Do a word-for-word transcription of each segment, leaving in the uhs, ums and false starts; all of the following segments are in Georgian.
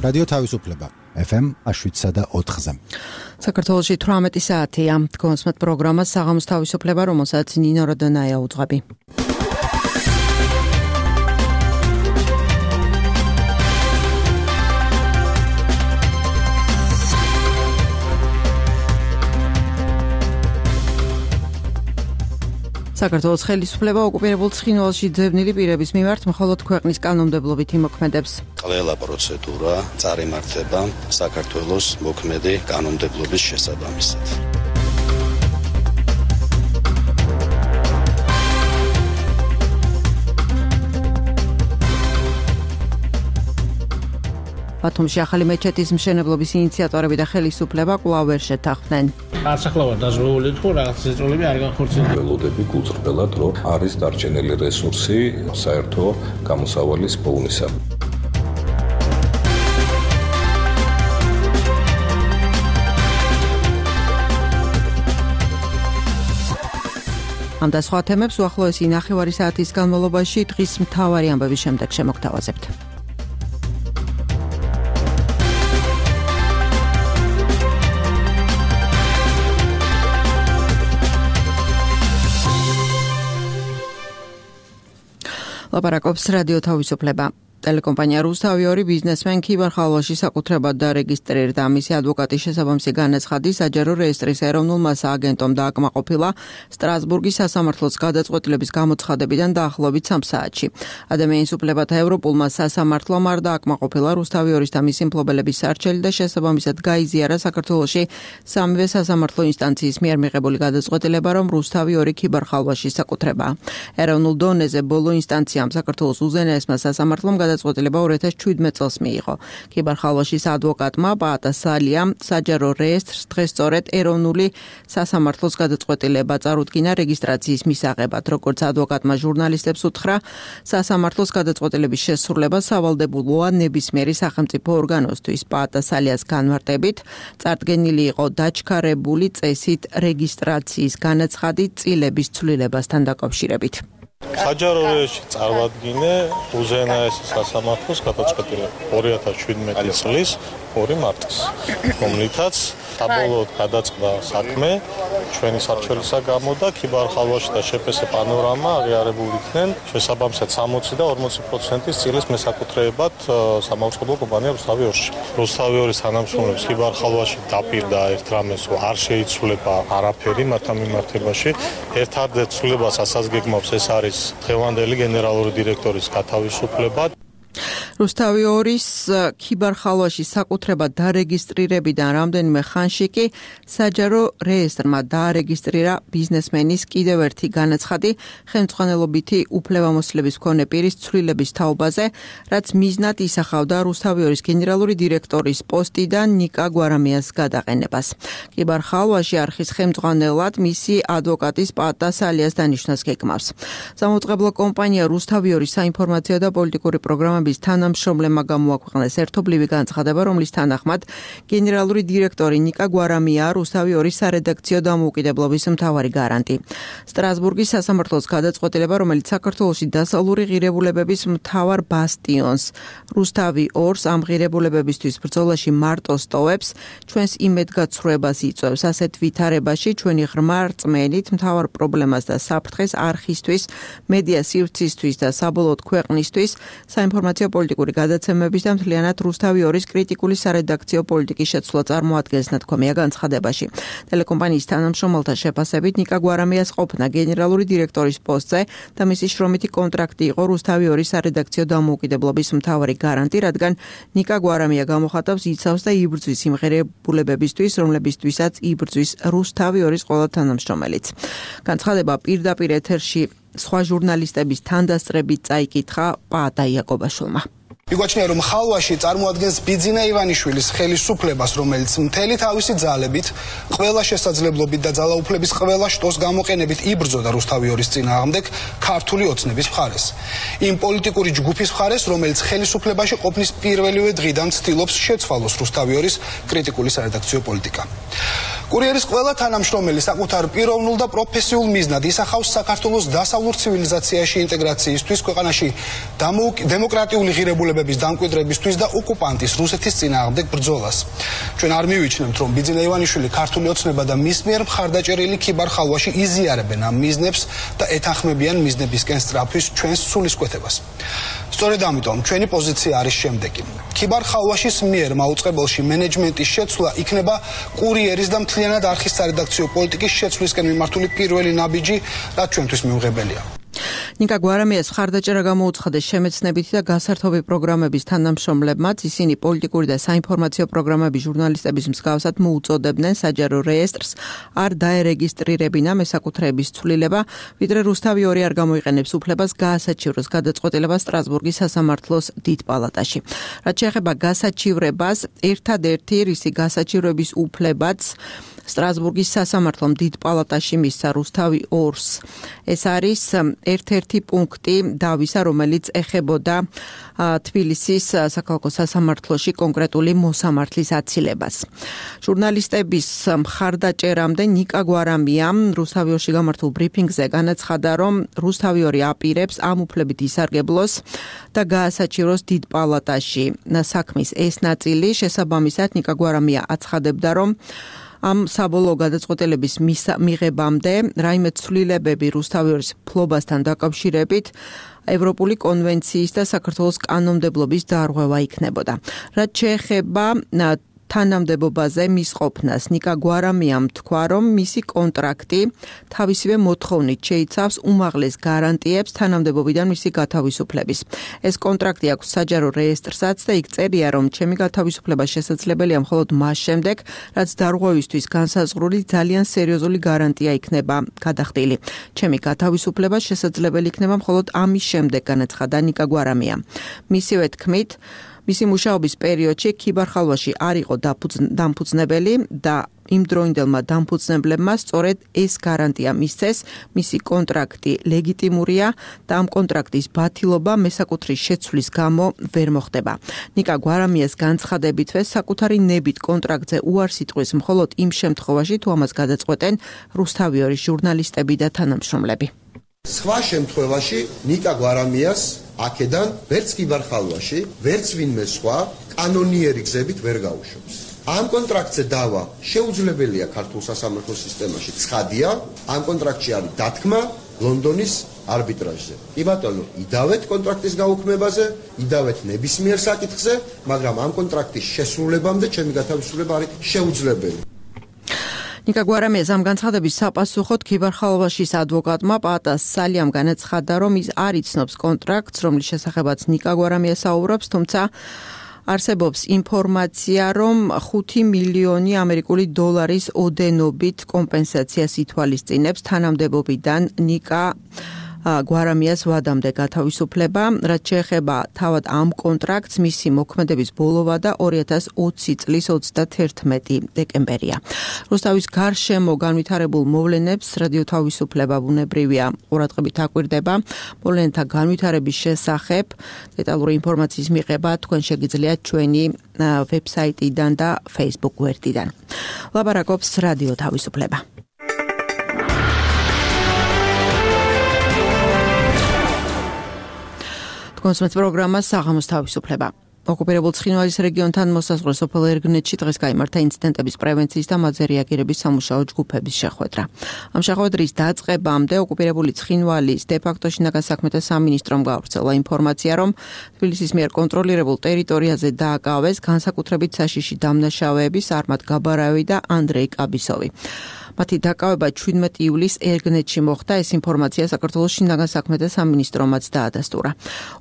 რადიო თავისუფლება ეფ ემ შვიდსა და ოთხზე. საქართველოში თვრამეტი საათია. გონსმეთ პროგრამა საღამოს თავისუფლება, რომელსაც ნინო როდონაია უძღვები. საქართველოს ხელისუფლება ოკუპირებულ ცხინვალში ძებნილი პირების მიმართ მხოლოდ ქვეყნის კანონმდებლობით იმოქმედებს. ყველა პროცედურა წარიმართება საქართველოს მოქმედი კანონმდებლობის შესაბამისად. ბათუმში ახალი მეჩეთის მშენებლობის ინიციატორები და ხელისუფლება კვლავ ვერ შეთანხმდნენ. არც ახლა ვარ დაზრული თუ რაღაც წევრები არ განხორციელდა. ველოდები გულწრფელად, რომ არის დარჩენილი რესურსი საერთო გამოსავალის პოვნისა. ამ და სხვა თემებს უახლოესი ნახევარი საათის განმავლობაში დღის მთავარი ამბების შემდეგ შემოგთავაზებთ. ლაპარაკობს რადიო თავისუფლება. ტელეკომპანია რუსთავი ორი ბიზნესმენ ქიბარ ხალვაში საკუთრებად დარეგისტრირდა. მისი ადვოკატის შესაბამისი განაცხადი საჯარო რეესტრის ეროვნულმა სააგენტომ დააკმაყოფილა სტრასბურგის სასამართლოს გადაწყვეტილების გამოცხადებიდან დაახლოებით სამ საათში. ადამიანის უფლებათა ევროპულმა სასამართლომ არ დააკმაყოფილა რუსთავი ორის და მისი მფლობელების სარჩელი და შესაბამისად გაიზიარა საქართველოში სამივე სასამართლო ინსტანციის მიერ მიღებული გადაწყვეტილება, რომ რუსთავი ორი ქიბარ ხალვაში საკუთრებაა. ეროვნულ დონეზე ბოლო ინსტანციამ საქართველოს უზენაესმა სასამართლომ გადაწყვეტილება ორი ათას შვიდმეტ წელს მიიღო. ქიბარ ხალვაშის ადვოკატმა პაატა სალიამ საჯარო რეესტრს დღეს სწორედ ეროვნული სასამართლოს გადაწყვეტილება წარუდგინა რეგისტრაციის მისაღებად. როგორც ადვოკატმა ჟურნალისტებს უთხრა, სასამართლოს გადაწყვეტილების შესრულება სავალდებულოა ნებისმიერი სახელმწიფო ორგანოსთვის. პაატა სალიას განმარტებით, წარდგენილი იყო დაჩქარებული წესით რეგისტრაციის განაცხადი წილების ცვლილებასთან დაკავშირებით. საჯარო რეესტრში წარვადგინე უზენაეს სასამართლოს გადაწყვეტილება ორი ათას შვიდმეტი წლის ორი მარტის, რომლითაც საბოლოოდ გადაწყდა საქმე ჩვენი სარჩელისა გამო და ქიბარ ხალვაში და შეპესე პანორამა აღიარებულ იქნენ შესაბამისად სამოცი და ორმოცი პროცენტის წილის მესაკუთრეებად სამაუწყებლო კომპანია რუსთავი ორში. რუსთავი ორის თანამშრომლებს ქიბარ ხალვაში დაპირდა ერთ რამეს, რომ არ შეიცვლება არაფერი მათთან მიმართებაში. ერთ-ერთ ცვლილებას ასაზგეგმავს ეს არის დღევანდელი გენერალური დირექტორის გათავისუფლება. რუსთავი ორის ქიბარ ხალვაში საკუთრებად დარეგისტრირებიდან რამდენიმე ხანში კი საჯარო რეესტრმა დაარეგისტრირა ბიზნესმენის კიდევ ერთი განაცხადი ხელმძღვანელობითი უფლებამოსილების მქონე პირის ცვლილების თაობაზე, რაც მიზნად ისახავდა რუსთავი ორის გენერალური დირექტორის პოსტიდან ნიკა გვარამიას გადაყენებას. ქიბარ ხალვაში არხის ხელმძღვანელად მისი ადვოკატის პაატა სალიას დანიშვნას გეგმავს. სამაუწყებლო კომპანია რუსთავი ორის საინფორმაციო და პოლიტიკური პროგრამების თანამშრომლებმა გამოაქვეყნეს ერთობლივი განცხადება, რომლის თანახმად გენერალური დირექტორი ნიკა გვარამია რუსთავი ორის სარედაქციო დამოუკიდებლობის მთავარი გარანტი. სტრასბურგის სასამართლოს გადაწყვეტილება, რომელიც საქართველოში დასავლური ღირებულებების მთავარ ბასტიონს რუსთავი ორს ამ ღირებულებებისთვის ბრძოლაში მარტო სტოვებს, ჩვენს იმედგაცრუებას იწვევს. ასეთ ვითარებაში ჩვენი ღრმა რწმენით მთავარ პრობლემას და საფრთხეს არხისთვის, მედია სივრცისთვის და საბოლოოდ ქვეყნისთვის საინფორმაციო პოლიტიკური გადაცემების და მთლიანად რუსთავი ორის კრიტიკული სარედაქციო პოლიტიკის შეცვლა წარმოადგენს ნათქვამია განცხადებაში. ტელეკომპანიის თანამშრომელთა შეფასებით ნიკა გვარამიას ყოფნა გენერალური დირექტორის პოსტზე და მისი შრომითი კონტრაქტი იყო რუსთავი ორის სარედაქციო დამოუკიდებლობის მთავარი გარანტი, რადგან ნიკა გვარამია გამოხატავს იცავს და იბრძვის იმ ღირებულებებისთვის, რომლებისთვისაც იბრძვის რუსთავი ორის ყველა თანამშრომელიც. განცხადება პირდაპირ ეთერში სხვა ჟურნალისტების თანდასწრებით წაიკითხა პაატა იაკობაშვილმა. მიგვაჩნია, რომ ხალვაში წარმოადგენს ბიძინა ივანიშვილის ხელისუფლებას, რომელიც მთელი თავისი ძალებით, ყველა შესაძლებლობით და ძალაუფლების ყველა შტოს გამოყენებით იბრძოდა რუსთავი ორის წინააღმდეგ ქართული ოცნების მხარეს. იმ პოლიტიკური ჯგუფის მხარეს, რომელიც ხელისუფლებაში ყოფნის პირველივე დღიდან ცდილობს შეცვალოს რუსთავი ორის კრიტიკული სარედაქციო პოლიტიკა. კურიერის ყველა თანამშრომელი საკუთარ პიროვნულ და პროფესიულ მიზნად ისახავს საქართველოს დასავლურ ცივილიზაციაში ინტეგრაციისთვის, ქვეყანაში დემოკრატიული ღირებულებების დამკვიდრებისთვის და ოკუპანტის რუსეთის წინააღმდეგ ბრძოლას. ჩვენ არ მივიჩნევთ, რომ ბიძინა ივანიშვილი ქართული ოცნება და მის მიერ მხარდაჭერილი ქიბარ ხალვაში იზიარებენ ამ მიზნებს და ეთანხმებიან მიზნებისკენ სწრაფვის ჩვენს სულისკვეთებას. სწორედ ამიტომ ჩვენი პოზიცია არის შემდეგი. ქიბარ ხალვაშის მიერ მაუწყებელში მენეჯმენტის შეცვლა იქნება კურიერის და მთლიანად არხის სარედაქციო პოლიტიკის შეცვლისკენ მიმართული პირველი ნაბიჯი, რაც ჩვენთვის მიუღებელია. ნიკა გვარამიას მხარდაჭერა გამოუცხადეს შემეცნებითი და გასართობი პროგრამების თანამშრომლებმაც, ისინი პოლიტიკური და საინფორმაციო პროგრამების ჟურნალისტების მსგავსად მოუწოდებდნენ საჯარო რეესტრს არ დაერეგისტრირებინა მესაკუთრეების ცვლილება, ვიდრე რუსთავი ორი არ გამოიყენებს უფლებას გაასაჩივროს გადაწყვეტილება სტრასბურგის სასამართლოს დიდ პალატაში. რაც შეეხება გასაჩივრებას, ერთადერთი რისი გასაჩივრების უფლებაც სტრასბურგის სასამართლომ დიდ პალატაში მისცა რუსთავი ორს. ეს არის ერთ-ერთი პუნქტი დავისა, რომელიც ეხებოდა თბილისის საქალაქო სასამართლოში კონკრეტული მოსამართლის აცილებას. ჟურნალისტების მხარდაჭერამდე ნიკა გვარამიამ რუსთავი ორში გამართულ ბრიფინგზე განაცხადა, რომ რუსთავი ორი აპირებს ამ უფლებით ისარგებლოს და გაასაჩივროს დიდ პალატაში საქმის ეს ნაწილი. შესაბამისად, ნიკა გვარამია აცხადებდა, რომ ამ საბოლოო გადაწყვეტილების მიღებამდე რაიმე ცვლილებები რუსთავი ორის ფლობასთან დაკავშირებით ევროპული კონვენციის და საქართველოს კანონმდებლობის დარღვევა იქნებოდა. რაც შეეხება თანამდებობაზე მის ყოფნას, ნიკა გვარამიამ თქვა, რომ მისი კონტრაქტი თავისივე მოთხოვნით შეიცავს უმაღლეს გარანტიებს თანამდებობიდან მისი გათავისუფლების. ეს კონტრაქტი აქვს საჯარო რეესტრსაც და იქ წერია, რომ ჩემი გათავისუფლება შესაძლებელია მხოლოდ მას შემდეგ, რაც დარღვევისთვის განსაზღვრული ძალიან სერიოზული გარანტია იქნება გადახდილი. ჩემი გათავისუფლება შესაძლებელი იქნება მხოლოდ ამის შემდეგ, განაცხადა ნიკა გვარამია. მისივე თქმით, მისი მუშაობის პერიოდში ქიბარ ხალვაში არ იყო დამფუძნებელი და იმ დროინდელმა დამფუძნებლებმა სწორედ ეს გარანტია მისცეს, მისი კონტრაქტი ლეგიტიმურია და ამ კონტრაქტის ბათილობა მესაკუთრის შეცვლის გამო ვერ მოხდება. ნიკა გვარამიას განცხადებითვე საკუთარი ნებით კონტრაქტზე უარს იტყვის მხოლოდ იმ შემთხვევაში, თუ ამას გადაწყვეტენ რუსთავი ორი ჟურნალისტები და თანამშრომლები. სხვა შემთხვევაში ნიკა გვარამიას აქედან ვერც ქიბარ ხალვაში, ვერც ვინმე სხვა კანონიერი გზებით ვერ გაუშვებს. ამ კონტრაქტზე დავა შეუძლებელია ქართულ სასამართლო სისტემაში, ცხადია, ამ კონტრაქტში არის დათქმა ლონდონის არბიტრაჟზე. კი ბატონო, იდავეთ კონტრაქტის გაუქმებაზე, იდავეთ ნებისმიერ საკითხზე, მაგრამ ამ კონტრაქტის შესრულებამდე ჩემი გათავისუფლება არის შეუძლებელი. ნიკა გვარამიას ამ განცხადების საპასუხოდ ქიბარ ხალვაშის ადვოკატმა პატას სალიამ განაცხადა, რომ ის არ იცნობს კონტრაქტს, რომლის შესახებაც ნიკა გვარამია საუბრობს, თუმცა არსებობს ინფორმაცია, რომ ხუთი მილიონი ამერიკული დოლარის ოდენობით კომპენსაციას ითვალისწინებს თანამდებობიდან ნიკა გვარამიას ვადამდე გათავისუფლება, რაც შეეხება თავად ამ კონტრაქტს, მისი მოქმედების ბოლოვა და ორი ათას ოცი წლის ოცდათერთმეტი დეკემბერია. რუსთავის გარშემო განვითარებულ მოვლენებს რადიო თავისუფლება ბუნებრივია ყურადღებით აკვირდება. მოვლენთა განვითარების შესახებ დეტალური ინფორმაციის მიღება თქვენ შეგიძლიათ ჩვენი ვებსაიტიდან და Facebook გვერდიდან. ლაპარაკობს რადიო თავისუფლება. კონსუმაციის პროგრამა საღამოს თავისუფლება. ოკუპირებულ ცხინვალის რეგიონთან მოსაზღვრე სოფელ ერგნეთში დღეს გაიმართა ინციდენტების პრევენციის და მათზე რეაგირების სამუშაო ჯგუფების შეხვედრა. ამ შეხვედრის დაწყებამდე ოკუპირებული ცხინვალის დე-ფაქტო შინაგან საქმეთა სამინისტრომ გავრცელა ინფორმაცია, რომ თბილისის მიერ კონტროლირებულ ტერიტორიაზე დააკავეს განსაკუთრებით საშიში დამნაშავეები სარმად გაბარავი და ანდრეი კაბისოვი. მათი დაკავება ჩვიდმეტი ივლისს ერგნეთში მოხდა, ეს ინფორმაცია საქართველოს შინაგან საქმეთა სამინისტრომაც დაადასტურა.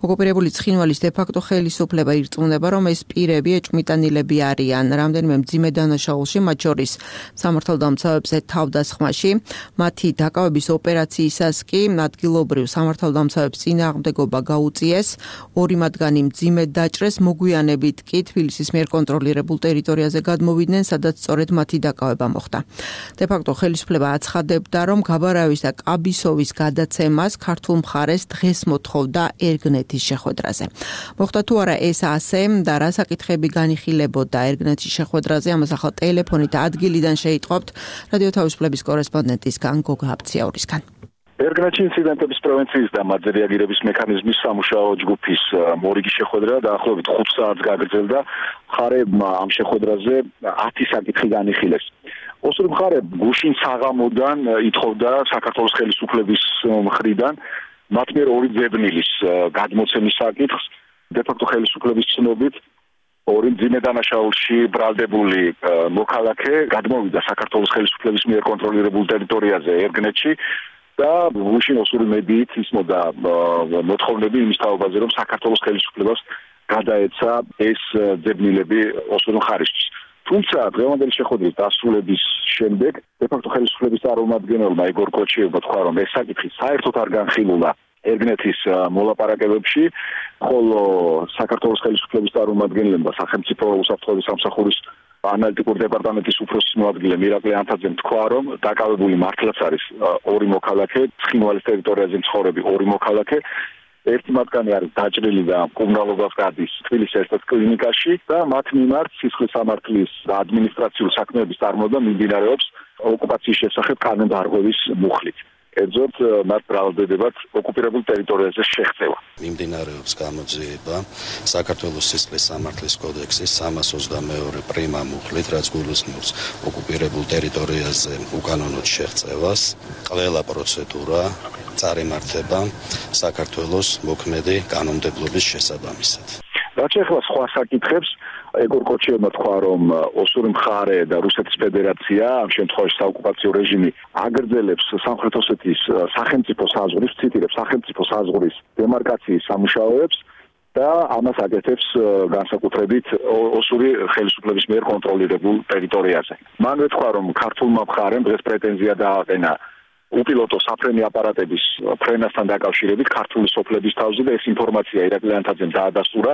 ოკუპირებული ცხინვალის დე-ფაქტო ხელისუფლება ირწმუნება, რომ ეს პირები ეჭვმიტანილები არიან რამდენიმე მძიმე დანაშაულში, მათ შორის სამართალდამცავებზე თავდასხმაში. მათი დაკავების ოპერაციისას კი ადგილობრივ სამართალდამცავებს წინააღმდეგობა გაუწიეს, ორი მათგანი მძიმედ დაჭრეს, მოგვიანებით კი თბილისის მიერ კონტროლირებულ ტერიტორიაზე გადმოვიდნენ, სადაც სწორედ მათი დაკავება მოხდა. დე-ფაქტო საფაქტო ხელისუფლება აცხადებდა, რომ გაბარავის და კაბისოვის გადაცემას ქართულ მხარეს დღეს მოთხოვდა ერგნეთის შეხვედრაზე. მოხდა თუ არა ეს ასე და რა საკითხები განიხილებოდა ერგნეთის შეხვედრაზე, ამას ახლა ტელეფონით ადგილიდან შეიტყობთ რადიო თავისუფლების კორესპონდენტისგან გოგა აბციაურისგან. ერგნეთში ინციდენტების პრევენციის და მათზე რეაგირების მექანიზმის სამუშაო ჯგუფის მორიგი შეხვედრა დაახლოებით ხუთ საათს გაგრძელდა. მხარეებმა ამ შეხვედრაზე ათი საკითხი განიხილეს. ოსური მხარე გუშინ საღამოდან ითხოვდა საქართველოს ხელისუფლების მხრიდან მათ მიერ ორი ძებნილის გადმოცემის საკითხს. დე-ფაქტო ხელისუფლების ცნობით ორი მძიმე დანაშაულში ბრალდებული მოქალაქე გადმოვიდა საქართველოს ხელისუფლების მიერ კონტროლირებულ ტერიტორიაზე ერგნეთში და გუშინ ოსური მედიით ისმოდა მოთხოვნები იმის თაობაზე, რომ საქართველოს ხელისუფლებას გადაეცა ეს ძებნილები ოსური მხარისთვის. თუმცა დღევანდელი შეხვედრის დასრულების შემდეგ დე-ფაქტო ხელისუფლების წარმომადგენელმა იგორ კოჩიევმა თქვა, რომ ეს საკითხი საერთოდ არ განხილულა ერგნეთის მოლაპარაკებებში, ხოლო საქართველოს ხელისუფლების წარმომადგენლებმა სახელმწიფო უსაფრთხოების სამსახურის ანალიტიკური დეპარტამენტის უფროსის მოადგილე მირაკლი ანთაძემ თქვა, რომ დაკავებული მართლაც არის ორი მოქალაქე, ცხინვალის ტერიტორიაზე მცხოვრები ორი მოქალაქე. ერთი მათგანი არის დაჭრილი და მკურნალობას გადის თბილისის ერთ-ერთ კლინიკაში და მათ მიმართ სისხლის სამართლის და ადმინისტრაციული საქმეების წარმოება მიმდინარეობს ოკუპაციის შესახებ კანონდარღვევის მუხლით. კერძოდ მათ ბრალდებათ ოკუპირებულ ტერიტორიაზე შეღწევა. მიმდინარეობს გამოძიება საქართველოს სისხლის სამართლის კოდექსის სამას ოცდამეორე პრიმა მუხლით, რაც გულისხმობს ოკუპირებულ ტერიტორიაზე უკანონოდ შეღწევას. ყველა პროცედურა წარიმართება საქართველოს მოქმედი კანონმდებლობის შესაბამისად. რაც ეხლა სხვა საკითხებს, იგორ კოჩიევმა თქვა, რომ ოსური მხარე და რუსეთის ფედერაცია, ამ შემთხვევაში საოკუპაციო რეჟიმი, აგრძელებს სამხრეთ ოსეთის სახელმწიფო საზღვრის, ციტირებს, სახელმწიფო საზღვრის დემარკაციის სამუშაოებს და ამას აკეთებს განსაკუთრებით ოსური ხელისუფლების მიერ კონტროლირებულ ტერიტორიაზე. მან ვეთქვა, რომ ქართულმა მხარემ დღეს პრეტენზია დააყენა უპილოტო საფრენი აპარატების ფრენასთან დაკავშირებით ქართული სოფლების თავზე და ეს ინფორმაცია ირაკლი ანთაძემ დაადასტურა.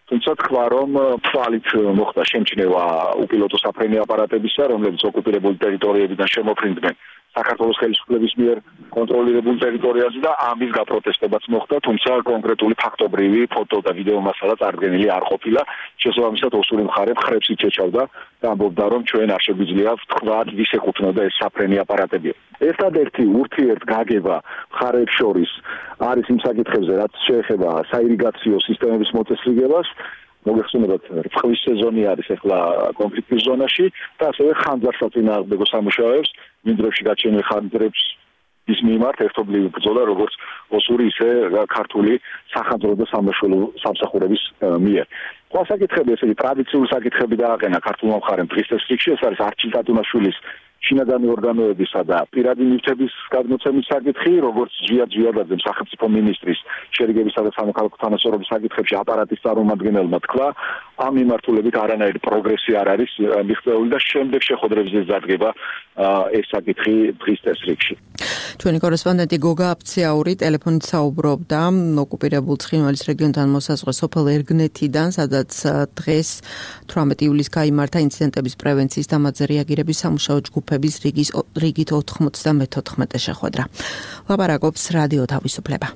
თუმცა თქვა, რომ თვალით მოხდა შემჩნევა უპილოტო საფრენი აპარატებისა, რომლებიც ოკუპირებულ ტერიტორიებიდან შემოფრინდნენ საქართველოს ხელისუფლების მიერ კონტროლირებულ ტერიტორიაზე და ამის გაპროტესტებაც მოხდა, თუმცა კონკრეტული ფაქტობრივი ფოტო და ვიდეო მასალა წარდგენილი არ ყოფილა. შესაბამისად ოსური მხარე ხრებს იჩეჩავდა და ამბობდა, რომ ჩვენ არ შეგვიძლია ვთქვათ, ვის ეკუთვნოდა ეს საფრენი აპარატები. ერთადერთი ურთიერთგაგება მხარეებს შორის არის იმ საკითხებზე, რაც შეეხება საირიგაციო სისტემების მოწესრიგებას. მოგეხსენებათ, წყლის სეზონი არის ახლა კონფლიქტის ზონაში და ასევე ხანძარსაწინააღმდეგო სამუშაოებს მინდვრებში გაჩენილ ხანძრებს ის მიმართ ერთობლივი ბრძოლა, როგორც ოსური, ისე ქართული სახანძრო და სამშობლო სამსახურების მიერ. სხვა საკითხები, ესე იგი ტრადიციული საკითხები დააყენა ქართულმა მხარემ დღის წესრიგში, ეს არის არჩილ ტატუნაშვილის შინაგანი ორგანოებისა და პირადი ნივთების გადმოცემის საკითხი, როგორც ზვია ძვიადაძემ სახელმწიფო მინისტრის შერიგებისა და სამოქალაქო თანასწორობის საკითხებში აპარატის წარმომადგენელმა თქვა, ამ მიმართულებით არანაირი პროგრესი არ არის მიღწეული და შემდეგ შეხვედრებზე დადგება ეს საკითხი დღის წესრიგში. ჩვენი კორესპონდენტი გოგა აბციაური ტელეფონით საუბრობდა ოკუპირებულ ცხინვალის რეგიონთან მოსაზღვრე სოფელ ერგნეთიდან, სადაც დღეს თვრამეტი ივლისს გაიმართა ინციდენტების პრევენციის და მათზე რეაგირების სამუშაო ჯგუფების რიგის რიგით ოთხმოცდამეთოთხმეტე შეხვედრა. ლაპარაკობს რადიო თავისუფლება.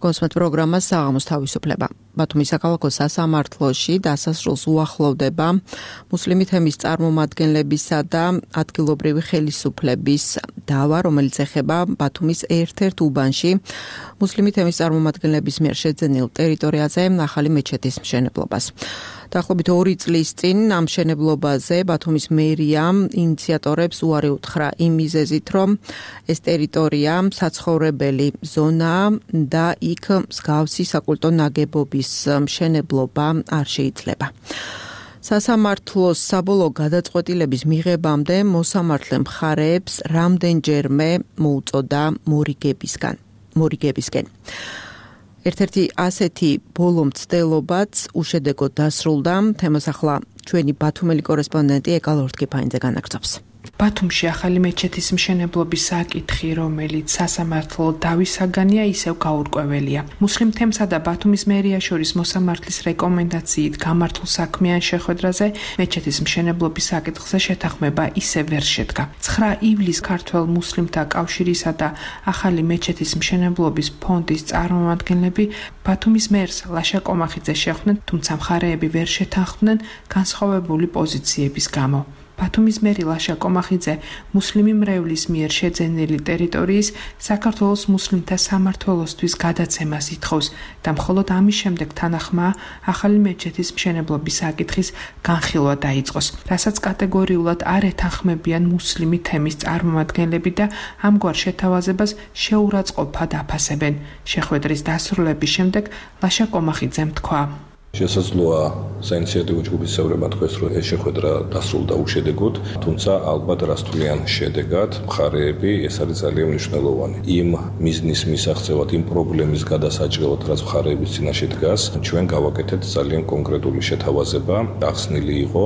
კონსმეთ პროგრამა საღამოს თავისუფლება. ბათუმის საქალაქო სასამართლოში დასასრულს უახლოვდება მუსლიმი თემის წარმომადგენლებისა და ადგილობრივი ხელისუფლების დავა, რომელიც ეხება ბათუმის ერთ-ერთ უბანში მუსლიმი თემის წარმომადგენლების მიერ შეძენილ ტერიტორიაზე ახალი მეჩეთის მშენებლობას. დაახლოებით ორი წლის წინ ამ მშენებლობაზე ბათუმის მერიამ ინიციატორებს უარი უთხრა იმ მიზეზით, რომ ეს ტერიტორია საცხოვრებელი ზონაა და იქ მსგავსი საკულტო ნაგებობის მშენებლობა არ შეიძლება. სასამართლოს საბოლოო გადაწყვეტილების მიღებამდე მოსამართლე მხარეებს რამდენჯერმე მოუწოდა მორიგებისგან. მორიგებისკენ. ერთ-ერთი ასეთი ბოლო მცდელობაც უშედეგოდ დასრულდა. თემას ახლა ჩვენი ბათუმელი კორესპონდენტი ეკალ ორთქიფაინძე განაგრძობს. ბათუმში ახალი მეჩეთის მშენებლობის საკითხი, რომელიც სასამართლო დავისაგანია, ისევ გაურკვეველია. მუსლიმ თემსა და ბათუმის მერია შორის მოსამართლის რეკომენდაციით გამართულ საქმიან შეხვედრაზე მეჩეთის მშენებლობის საკითხზე შეთანხმება ისევ ვერ შედგა. ცხრა ივლისს ქართველ მუსლიმთა კავშირისა და ახალი მეჩეთის მშენებლობის ფონდის წარმომადგენლები ბათუმის მერს ლაშა კომახიძეს შეხვდნენ, თუმცა მხარეები ვერ შეთანხმდნენ განსხვავებული პოზიციების გამო. ბათუმის მერი ლაშა კომახიძე მუსლიმი მრევლის მიერ შეძენილი ტერიტორიის საქართველოს მუსლიმთა სამმართველოსთვის გადაცემას ითხოვს და მხოლოდ ამის შემდეგ თანახმაა ახალი მეჩეთის მშენებლობის საკითხის განხილვა დაიწყოს, რასაც კატეგორიულად არ ეთანხმებიან მუსლიმი თემის წარმომადგენლები და ამგვარ შეთავაზებას შეურაცხყოფად აფასებენ. შეხვედრის დასრულების შემდეგ ლაშა კომახიძემ თქვა: შესაძლოა საინიციატივო ჯგუფის წევრებმა თქვეს, რომ ეს შეხვედრა დასრულდა უშედეგოდ, თუმცა ალბათ რასთვლიან შედეგად მხარეები ეს არის ძალიან მნიშვნელოვანი. იმ მიზნის მისაღწევად, იმ პრობლემის გადასაჭრელად, რაც მხარეების წინაშე დგას, ჩვენ გავაკეთეთ ძალიან კონკრეტული შეთავაზება, ახსნილი იყო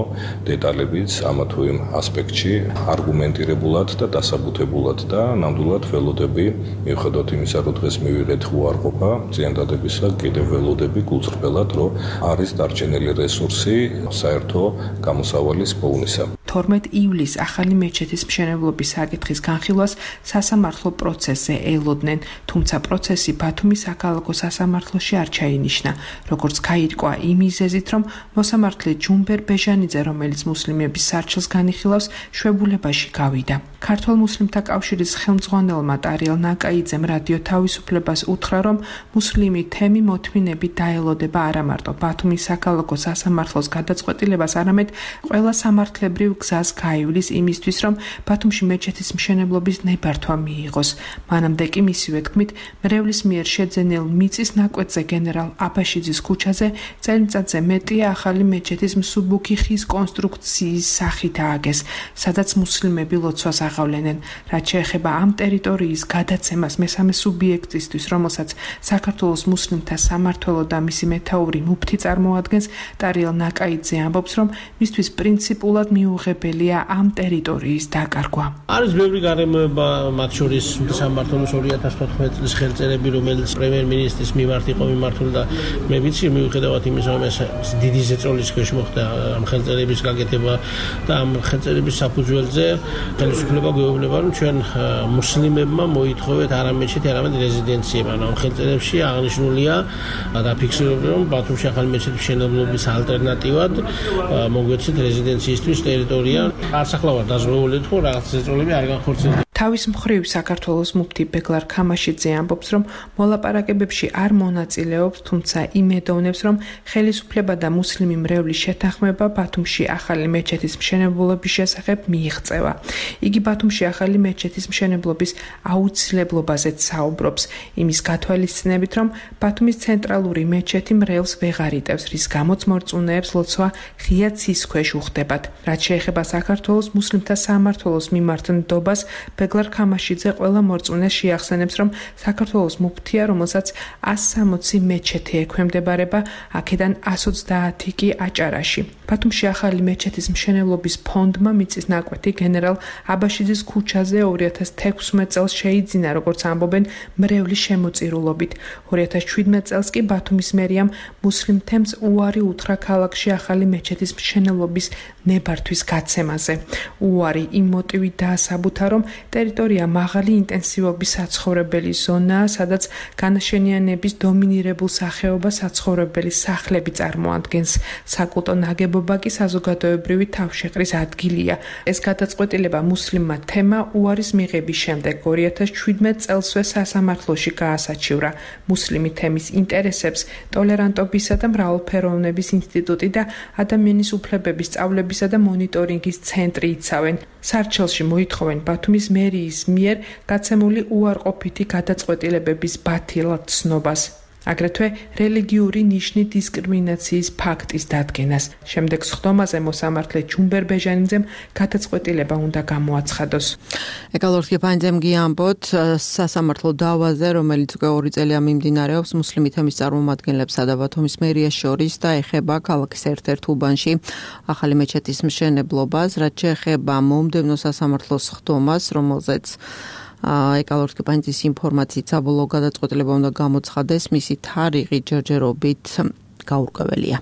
დეტალებიც ამა თუ იმ ასპექტში, არგუმენტირებულად და დასაბუთებულად და ნამდვილად ველოდები, მიუხედავად იმისა, რომ დღეს მივიღეთ უარყოფა ზიანდადებისა, კიდევ ველოდები გულწრფელად, რომ არის დარჩენილი რესურსი საერთო გამოსავალის პოვნისა. თორმეტ ივლისს ახალი მეჩეთის მშენებლობის საკითხის განხილვას სასამართლო პროცესზე ელოდნენ, თუმცა პროცესი ბათუმის საქალაქო სასამართლოში არ ჩაინიშნა, როგორც გაირკვა იმ მიზეზით, რომ მოსამართლე ჯუმბერ ბეჟანიძე, რომელიც მუსლიმების სარჩელს განიხილავს, შვებულებაში გავიდა. ქართველ მუსლიმთა კავშირის ხელმძღვანელმა ტარიელ ნაკაიძემ რადიო თავისუფლებას უთხრა, რომ მუსლიმი თემი მოთმინებით დაელოდება არა მარტო ბათუმის საქალაქო სასამართლოს გადაწყვეტილებას, არამედ ყველა სამართლებრივ გზას გაივლის იმისთვის, რომ ბათუმში მეჩეთის მშენებლობის ნებართვა მიიღოს. მანამდე კი მისივე თქმით, მრევლის მიერ შეძენილ მიწის ნაკვეთზე გენერალ აბაშიძის ქუჩაზე წელიწადზე მეტია ახალი მეჩეთის მსუბუქი ხის კონსტრუქციის სახით ააგეს, სადაც მუსლიმები ლოცვას აღავლენენ. რაც შეეხება ამ ტერიტორიის გადაცემას მესამე სუბიექტისთვის, რომელსაც საქართველოს მუსლიმთა სამმართველო და მისი მეთაური მუფთი წარმოადგენს, ტარიელ ნაკაიძე ამბობს, რომ მისთვის პრინციპულად მიუღებელია ამ ტერიტორიის დაკარგვა. არის ბევრი გარემოება, მათ შორის სამმართველოს ორი ათას თოთხმეტ წლის ხელწერები, რომელიც პრემიერ-მინისტრის მიმართ იყო მიმართული და მე ვიცი, მიუხედავად იმისა, რომ ეს დიდი ზეწოლის ქვეშ მოხდა ამ ხელწერების გაკეთება და ამ ხელწერების საფუძველზე ხელისუფლება გვეუბნება, რომ ჩვენ მუსლიმებმა მოითხოვეთ არა მეჩეთი, არამედ რეზიდენციება. ამ ხელწერებში აღნიშნულია და ფიქსირებული, რომ ბათუმში ახალი მეჩეთის მშენებლობის ალტერნატივად მოგვეცეთ რეზიდენციისთვის ტერიტორია. არც ახლა ვარ დაზღვეული თუ რაღაც ზეწოლები არ განხორციელდა. თავის მხრივ საქართველოს მუფთი ბეგლარ ქამაშიძე ამბობს, რომ მოლაპარაკებებში არ მონაწილეობს, თუმცა იმედოვნებს, რომ ხელისუფლება და მუსლიმი მრევლის შეთანხმება ბათუმში ახალი მეჩეთის მშენებლობის შესახებ მიიღწევა. იგი ბათუმში ახალი მეჩეთის მშენებლობის აუცილებლობაზეც საუბრობს, იმის გათვალისწინებით, რომ ბათუმის ცენტრალური მეჩეთი მრევლს ვეღარ იტევს, რის გამოც მორწმუნეებს ლოცვა ღია ცის ქვეშ უხდებათ. რაც შეეხება საქართველოს მუსლიმთა სამმართველოს მიმართ ნდობას, ბეგლარ ქამაშიძე ყველა მორწმუნეს შეახსენებს, რომ საქართველოს მუფთია, რომელსაც ას სამოცი მეჩეთი ექვემდებარება, აქედან ას ოცდაათი კი აჭარაში. ბათუმში ახალი მეჩეთის მშენებლობის ფონდმა მიწის ნაკვეთი გენერალ აბაშიძის ქუჩაზე ორი ათას თექვსმეტ წელს შეიძინა, როგორც ამბობენ, მრევლის შემოწირულობით. ორი ათას შვიდმეტ წელს კი ბათუმის მერიამ მუსლიმ თემს უარი უთხრა ქალაქში ახალი მეჩეთის მშენებლობის ნებართვის გაცემაზე. უარი იმ მოტივით დაასაბუთა, რომ ტერიტორია მაღალი ინტენსივობის საცხოვრებელი ზონაა, სადაც განაშენიანების დომინირებულ სახეობას საცხოვრებელი სახლები წარმოადგენს. საკულტო ნაგებობა კი საზოგადოებრივი თავშეყრის ადგილია. ეს გადაწყვეტილება მუსლიმმა თემა უარის მიღების შემდეგ ორი ათას შვიდმეტ წელსვე სასამართლოში გაასაჩივრა. მუსლიმი თემის ინტერესებს ტოლერანტობისა და მრავალფეროვნების ინსტიტუტი და ადამიანის უფლებების სწავლებისა და მონიტორინგის ცენტრი იცავენ. სარჩელში მოითხოვენ ბათუმის მერიის მიერ გაცემული უარყოფითი გადაწყვეტილებების ბათილად ცნობას. აგრეთვე რელიგიური ნიშნით დისკრიმინაციის ფაქტის დადგენას. შემდეგ სხდომაზე მოსამართლე ჯუმბერ ბეჟანიძემ გადაწყვეტილება უნდა გამოაცხადოს. ეკალორთი ფანძემ გიამბოთ სასამართლო დავაზე, რომელიც უკვე ორი წელია მიმდინარეობს მუსლიმი თემის წარმომადგენლებსა და ბათუმის მერიას შორის და ეხება ქალაქის ერთ-ერთ უბანში ახალი მეჩეთის მშენებლობას, რაც შეეხება მომდევნო სასამართლოს სხდომას, რომელზეც ეკალორთი პანძის ინფორმაციით საბოლოო გადაწყვეტილება უნდა გამოცხადდეს, მისი თარიღი ჯერჯერობით გაურკვეველია.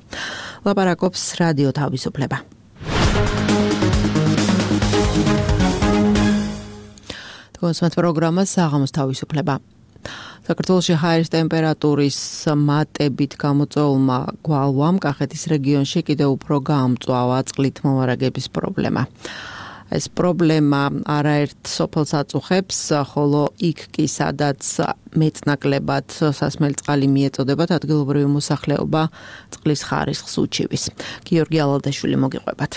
ლაპარაკობს რადიო თავისუფლება. კონსუმატ პროგრამა საღამოს თავისუფლება. საქართველოში ჰაერის ტემპერატურის მატებით გამოწვეულმა გვალვამ კახეთის რეგიონში კიდევ უფრო გაამწვავა წყლით მომარაგების პრობლემა. ეს პრობლემა არაერთ სოფელს აწუხებს, ხოლო იქ კი სადაც მეტნაკლებად სასმელი წყალი მიეწოდებათ ადგილობრივი მოსახლეობა წყლის ხარისხს უჩივის. გიორგი ალალდაშვილი მოგიყვებათ.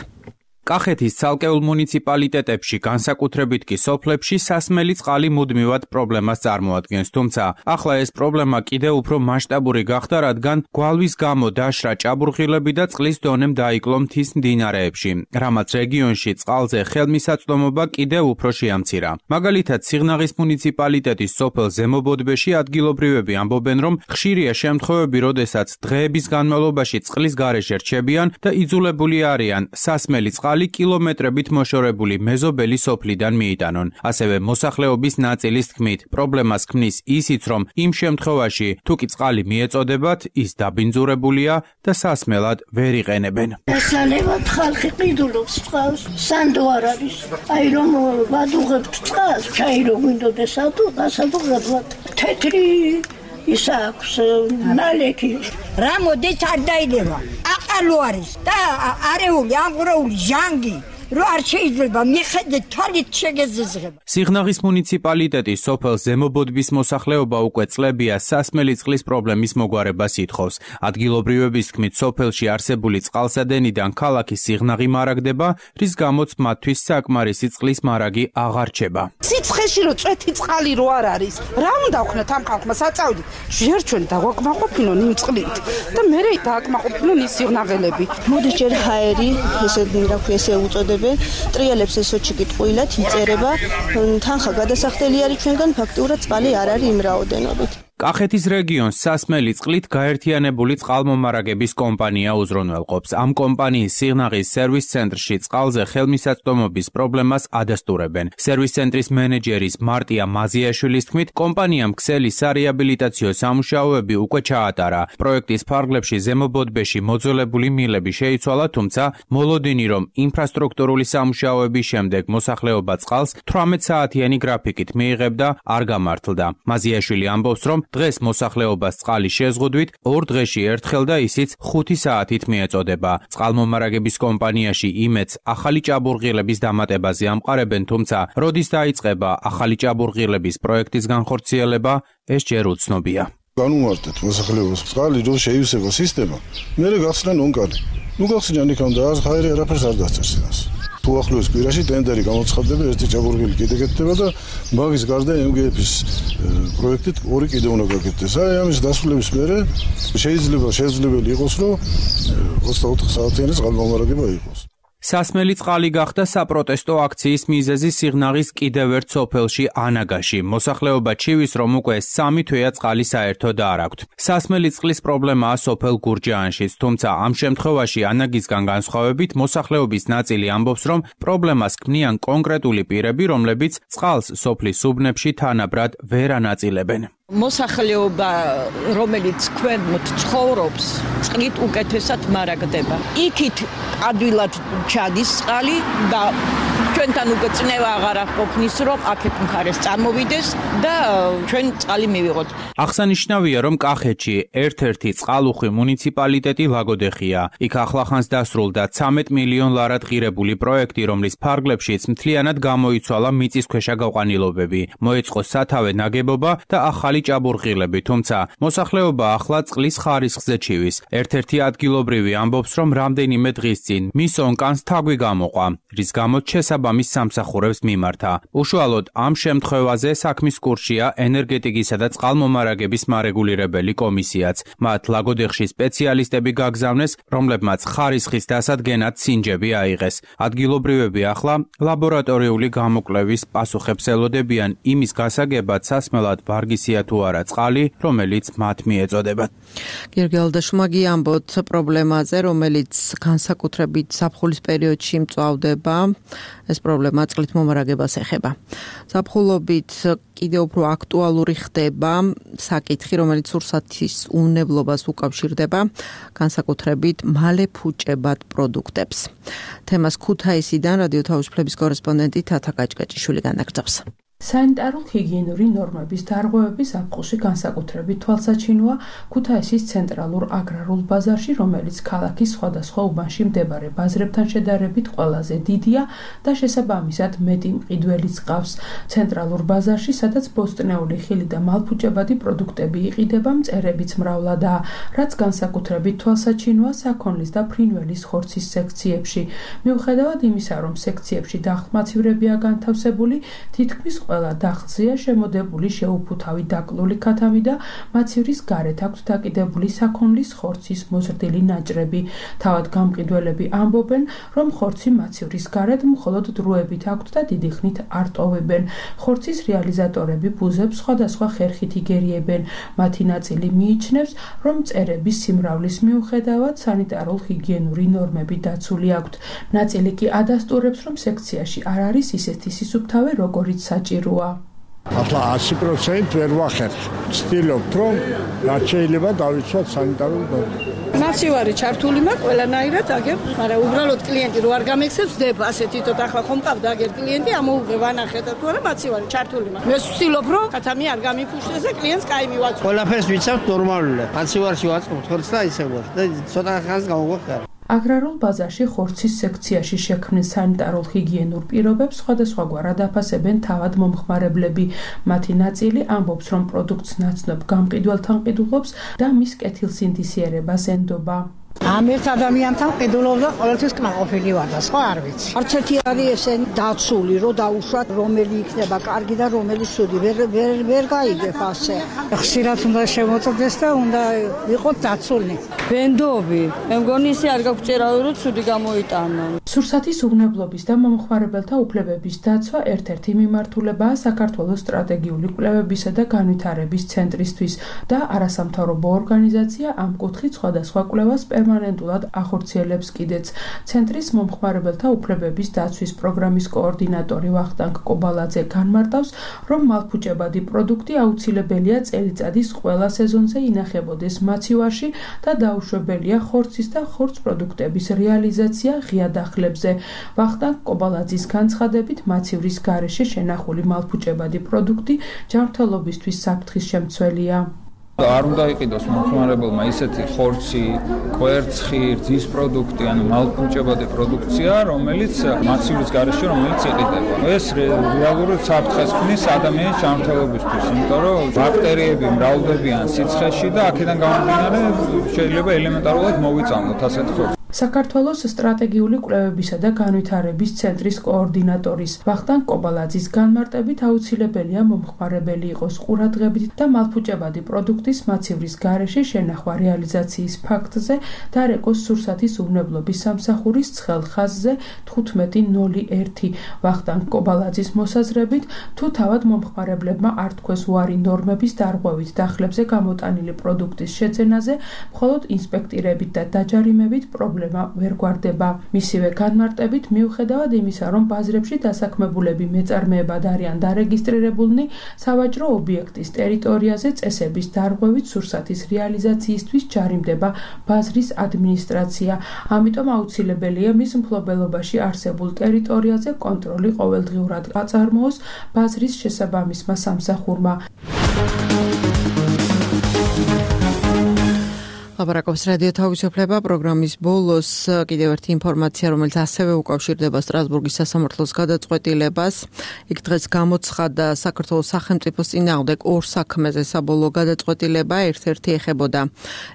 კახეთის ცალკეულ მუნიციპალიტეტებში, განსაკუთრებით კი სოფლებში სასმელი წყალი მუდმივად პრობლემას წარმოადგენს, თუმცა ახლა ეს პრობლემა კიდევ უფრო მასშტაბური გახდა, რადგან გვალვის გამო დაშრა ჭაბურღილები და წყლის დონემ დაიკლო მთის მდინარეებში, რამაც რეგიონში წყალზე ხელმისაწვდომობა კიდევ უფრო შეამცირა. მაგალითად, სიღნაღის მუნიციპალიტეტის სოფელ ზემობოდბეში ადგილობრივები ამბობენ, რომ ხშირია შემთხვევები, როდესაც დღეების განმავლობაში წყლის გარეშე რჩებიან და იძულებული არიან სასმელი წყალი კილომეტრებით მოშორებული მეზობელი სოფლიდან მიიტანონ. ასევე მოსახლეობის ნაწილის თქმით, პრობლემას ქმნის ისიც, რომ იმ შემთხვევაში, თუ კი წყალი მიეწოდებათ, ის დაბინძურებულია და სასმელად ვერ იყენებენ. ესალევად ხალხი ყიდულობს წყალს, სანდო არ არის. აი რომ ვადუღებთ წყალს, ჩაი რო გვინდოდეს ატო, გასადუღებლად. თეთრი ის აქვს ნალექი. რა მოდის არ დაილევა. აყალო არის და არეული, ამღრეული ჟანგი. რო არ შეიძლება მიხედე თვალით შეგეზიზღება. სიღნაღის მუნიციპალიტეტის სოფელ ზემობოდბის მოსახლეობა უკვე წლებია სასმელი წყლის პრობლემის მოგვარებას ითხოვს. ადგილობრივების თქმით, სოფელში არსებული წყალსადენიდან ქალაქის სიღნაღი მარაგდება, რის გამოც მათთვის საკმარისი წყლის მარაგი აღარ რჩება. სიცხეში რო წვეთი წყალი რო არ არის, რა უნდა ვქნათ ამ ხალხმა საწავდი? ჯერ ჩვენ დაგვაკმაყოფილონ იმ წყლით და მერე დააკმაყოფილონ ის სიღნაღელები. მოდი ჯერ ჰაერი, ესე რა ქვია, ესე უწოდე ტრიალებს ესოჩი კიტყვილად იწერება, თანხა გადასახდელი არის ჩვენგან, ფაქტურად წყალი არ არის იმ რაოდენობით. კახეთის რეგიონს სასმელი წყლით გაერთიანებული წყალმომარაგების კომპანია უზრუნველყოფს. ამ კომპანიის სიღნაღის სერვის ცენტრში წყალზე ხელმისაწვდომობის პრობლემას ადასტურებენ. სერვის ცენტრის მენეჯერის მარტია მაზიაშვილის თქმით, კომპანიამ ქსელი სარეაბილიტაციო სამუშაოები უკვე ჩაატარა. პროექტის ფარგლებში ზემობოდბეში მოძველებული მილები შეიცვალა, თუმცა მოლოდინი, რომ ინფრასტრუქტურული სამუშაოების შემდეგ მოსახლეობა წყალს თვრამეტ საათიანი გრაფიკით მიიღებდა, არ გამართლდა. მაზიაშვილი ამბობს, რომ დღეს მოსახლეობას წყალი შეზღუდვით ორ დღეში ერთხელ და ისიც ხუთი საათით მიეწოდება. წყალმომარაგების კომპანიაში იმედს ახალი ჭაბურღილების დამატებაზე ამყარებენ, თუმცა როდის დაიწყება ახალი ჭაბურღილების პროექტის განხორციელება, ეს ჯერ უცნობია. განუმარტეთ მოსახლეობას წყალი რო შეივსება სისტემა, მერე გახსნან ონკარი. ნუ გახსნიან იქამ და ჰაერი არაფერს არ დასწრეს იმას. თუ ახლოს კვირაში ტენდერი გამოცხადდება, ერთი ჭაბურღილი კიდე გეთდება და მაგის გარდა ემ ჯი ეფ-ის პროექტით ორი კიდე უნდა გაკეთდეს. აი ამის დასრულების მერე შეიძლება შესაძლებელი იყოს, რომ ოცდაოთხ საათიანი წყალმომარაგება იყოს. სასმელი წყალი გახდა საპროტესტო აქციის მიზეზი სიღნაღის კიდევ ერთ სოფელში ანაგაში. მოსახლეობა ჩივის, რომ უკვე სამი თვეა წყალი საერთოდ არ აქვთ. სასმელი წყლის პრობლემაა სოფელ გურჯაანშიც, თუმცა ამ შემთხვევაში ანაგისგან განსხვავებით მოსახლეობის ნაწილი ამბობს, რომ პრობლემას ქმნიან კონკრეტული პირები, რომლებიც წყალს სოფლის უბნებში თანაბრად ვერ ანაწილებენ. მოსახლეობა, რომელიც ქვემოთ ცხოვრობს, წყლით უკეთესად მარაგდება. იქით ადვილად ჩადის წყალი და ჩვენთან უკვე წნევა აღარ აღყოფნის, რომ აქეთ მხარეს წარმოვიდეს და ჩვენ წყალი მივიღოთ. აღსანიშნავია, რომ კახეთში ერთ-ერთი წყალუხვი მუნიციპალიტეტი ლაგოდეხია. იქ ახლახანს დასრულდა ცამეტ მილიონ ლარად ღირებული პროექტი, რომლის ფარგლებშიც მთლიანად გამოიცვალა მიწისქვეშა გაყვანილობები. მოეწყო სათავე ნაგებობა და ახალი ჭაბურღილები, თუმცა მოსახლეობა ახლა წყლის ხარისხზე ჩივის. ერთ-ერთი ადგილობრივი ამბობს, რომ რამდენიმე დღის წინ მის ონკანს თაგვი გამოყვა, რის გამოც შესაბამისი შესაბამის სამსახურებს მიმართა. უშუალოდ ამ შემთხვევაზე საქმის კურსშია ენერგეტიკისა და წყალმომარაგების მარეგულირებელი კომისიაც. მათ ლაგოდეხში სპეციალისტები გაგზავნეს, რომლებმაც ხარისხის დასადგენად სინჯები აიღეს. ადგილობრივები ახლა ლაბორატორიული გამოკვლევის პასუხებს ელოდებიან იმის გასაგებად, სასმელად ვარგისია თუ არა წყალი, რომელიც მათ მიეწოდებათ. გიორგი ალდაშვილმა გიამბოთ პრობლემაზე, რომელიც განსაკუთრებით ზაფხულის პერიოდში მწვავდება. ეს პრობლემა წყლით მომარაგებას ეხება. ზაფხულობით კიდევ უფრო აქტუალური ხდება საკითხი, რომელიც სურსათის უნებლობას უკავშირდება, განსაკუთრებით მალე ფუჭებად პროდუქტებს. თემას ქუთაისიდან რადიო თავისუფლების კორესპონდენტი თათა კაჭკაჭიშვილი განაგრძობს. სანიტარულ-ჰიგიენური ნორმების დარღვევები ზაფხულში განსაკუთრებით თვალსაჩინოა ქუთაისის ცენტრალურ აგრარულ ბაზარში, რომელიც ქალაქის სხვადასხვა უბანში მდებარე ბაზრებთან შედარებით ყველაზე დიდია და შესაბამისად მეტი მყიდველიც ჰყავს. ცენტრალურ ბაზარში, სადაც ბოსტნეული ხილი და მალფუჭებადი პროდუქტები იყიდება, მწერებიც მრავლადაა, რაც განსაკუთრებით თვალსაჩინოა საქონლის და ფრინველის ხორცის სექციებში. მიუხედავად იმისა, რომ სექციებში დახმაცივრებია განთავსებული, თითქმის ყველა დახლზეა შემოდებული შეუფუთავი დაკლული ქათამი და მაცივრის გარეთ აქვთ დაკიდებული საქონლის ხორცის მოზრდილი ნაჭრები. თავად გამყიდველები ამბობენ, რომ ხორცი მაცივრის გარეთ მხოლოდ დროებით აქვთ და დიდი ხნით არ ტოვებენ. ხორცის რეალიზატორები ბუზებს სხვადასხვა ხერხით იგერიებენ. მათი ნაწილი მიიჩნევს, რომ მწერების სიმრავლის მიუხედავად სანიტარულ-ჰიგიენური ნორმები დაცული აქვთ. ნაწილი კი ადასტურებს, რომ სექციაში არ არის ისეთი სისუფთავე, როგორიც საჭიროა. ახლა ასი პროცენტი ვერ ვახერხ. ვცდილობთ, რომ რაც შეიძლება დავიცვათ სანიტარულ ნორმებს. მაცივარი ჩართული მაქვს ყველანაირად აგერ, მაგრამ უბრალოდ კლიენტი რო არ გამექცევს, დება ასეთი თოთ ახლა ხომ ყავდა აგერ კლიენტი, ამოუღებ ანახეთ თუ არა მაცივარი ჩართული მაქვს. მე ვცდილობ, რომ ქათამი არ გამიფუშტეს და კლიენტს კაი მივაწვდო. ყველაფერს ვიცავთ ნორმალურად. მაცივარში ვაწყობთ ხორცს და ისე ვარ და ცოტა ხანს გამოვხარ. აგრარულ ბაზარში ხორცის სექციაში შექმნილ სანიტარულ-ჰიგიენურ პირობებს სხვადასხვაგვარად აფასებენ თავად მომხმარებლები. მათი ნაწილი ამბობს, რომ პროდუქტს ნაცნობ გამყიდველთან ყიდულობს და მის კეთილსინდისიერებას ენდობა. ამ ერთ ადამიანთან ყიდულობდა ყოველთვის კმაყოფილი ვარ და სხვა არ ვიცი. არც ერთი არის ესენი დაცული, რომ დაუშვათ რომელი იქნება კარგი და რომელი ცუდი. ვერ ვერ ვერ გაიგებ ასე. ხშირად უნდა შემოწდეს და უნდა იყოს დაცული. ბენდობი. მე მგონი ისე არ გაგვჭერავი, რომ ცუდი გამოიტანო. სურსათის უვნებლობის და მომხმარებელთა უფლებების დაცვა ერთ-ერთი მიმართულებაა საქართველოს სტრატეგიული კვლევებისა და განვითარების ცენტრისთვის და არასამთავრობო ორგანიზაცია ამ კუთხით სხვადასხვა კვლევას პერმანენტულად ახორციელებს კიდეც. ცენტრის მომხმარებელთა უფლებების დაცვის პროგრამის კოორდინატორი ვახტანგ კობალაძე განმარტავს, რომ მალფუჭებადი პროდუქტი აუცილებელია წელიწადის ყველა სეზონზე ინახებოდეს მაცივარში და დაუშვებელია ხორცის და ხორც პროდუქტების რეალიზაცია ღია დახლებზე. ვახტანგ კობალაძის განცხადებით, მაცივრის გარეშე შენახული მალფუჭებადი პროდუქტი ჯანმრთელობისთვის საფრთხის შემცველია. არ უნდა იყიდოს მომხმარებელმა ისეთი ხორცი, კვერცხი, რძის პროდუქტი, ანუ მალფუჭებადი პროდუქცია, რომელიც მაცივრის გარეშე რომელიც იყიდება. ეს რეალურად საფრთხეს ქმნის ადამიანის ჯანმრთელობისთვის, იმიტომ რომ ბაქტერიები მრავლდებიან სიცხეში და აქედან გამომდინარე შეიძლება ელემენტარულად მოვიწამოთ ასეთ ხორცს. საქართველოს სტრატეგიული კვლევებისა და განვითარების ცენტრის კოორდინატორის ვახტანგ კობალაძის განმარტებით აუცილებელია მომხმარებელი იყოს ყურადღებით და მალფუჭებადი პროდუქტის მაცივრის გარეშე შენახვა რეალიზაციის ფაქტზე დარეკოს სურსათის უვნებლობის სამსახურის ცხელ ხაზზე თხუთმეტი ნული ერთი. ვახტანგ კობალაძის მოსაზრებით, თუ თავად მომხმარებლებმა არ თქვეს უარი ნორმების დარღვევით დახლებზე გამოტანილი პროდუქტის შეძენაზე, მხოლოდ ინსპექტირებით და დაჯარიმებით პრობლემა ვერ გვარდება. მისივე განმარტებით, მიუხედავად იმისა, რომ ბაზრებში დასაქმებულები მეწარმეებად არიან დარეგისტრირებულნი, სავაჭრო ობიექტის ტერიტორიაზე წესების დარღვევით სურსათის რეალიზაციისთვის ჯარიმდება ბაზრის ადმინისტრაცია. ამიტომ აუცილებელია მის მფლობელობაში არსებულ ტერიტორიაზე კონტროლი ყოველდღიურად აწარმოოს ბაზრის შესაბამისმა სამსახურმა. ლაპარაკობს რადიო თავისუფლება პროგრამის ბოლოს კიდევ ერთი ინფორმაცია, რომელიც ასევე უკავშირდება სტრასბურგის სასამართლოს გადაწყვეტილებას. იქ დღეს გამოცხადა საქართველოს სახელმწიფოს წინააღმდეგ ორ საქმეზე საბოლოო გადაწყვეტილება. ერთ-ერთი ეხებოდა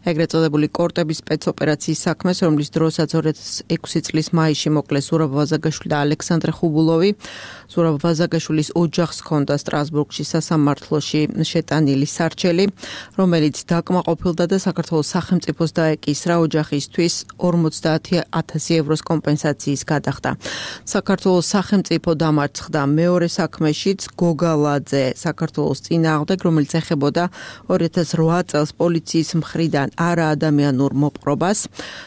ეგრეთ წოდებული კორტების სპეცოპერაციის საქმეს, რომლის დროსაც ორი ათას ექვსი წლის მაისში მოკლეს ზურაბ ვაზაგაშვილი და ალექსანდრე ხუბულოვი. ზურაბ ვაზაგაშვილის ოჯახს ჰქონდა სტრასბურგში სასამართლოში შეტანილი სარჩელი, რომელიც დაკმაყოფილდა და საქართველოს სახელმწიფოს დაეკისრა ოჯახისთვის ორმოცდაათი ათასი ევროს კომპენსაციის გადახდა. საქართველოს სახელმწიფო დამარცხდა მეორე საქმეშიც გოგალაძე საქართველოს წინააღმდეგ, რომელიც ეხებოდა ორი ათას რვა წელს პოლიციის მხრიდან არაადამიანურ მოპყრობას.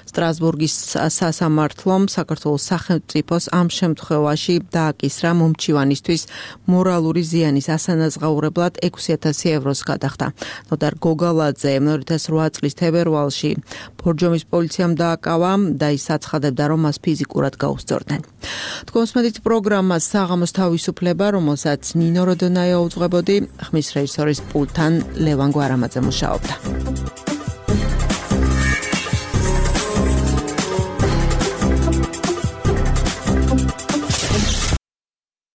სტრასბურგის სასამართლომ საქართველოს სახელმწიფოს ამ შემთხვევაში დააკისრა მომჩივანისთვის მორალური ზიანის ასანაზღაურებლად ექვსი ათასი ევროს გადახდა. ნოდარ გოგალაძე ორი ათას რვა წლის თებერვალში ბორჯომის პოლიციამ დააკავა და ის აცხადებდა, რომ მას ფიზიკურად გაუსწორდნენ. თქვენს მედით პროგრამას საღამოს თავისუფლება, რომელსაც ნინო როდონაია უძღვებოდი, ხმის რეჟისორის პულტთან ლევან გვარამაძე მუშაობდა.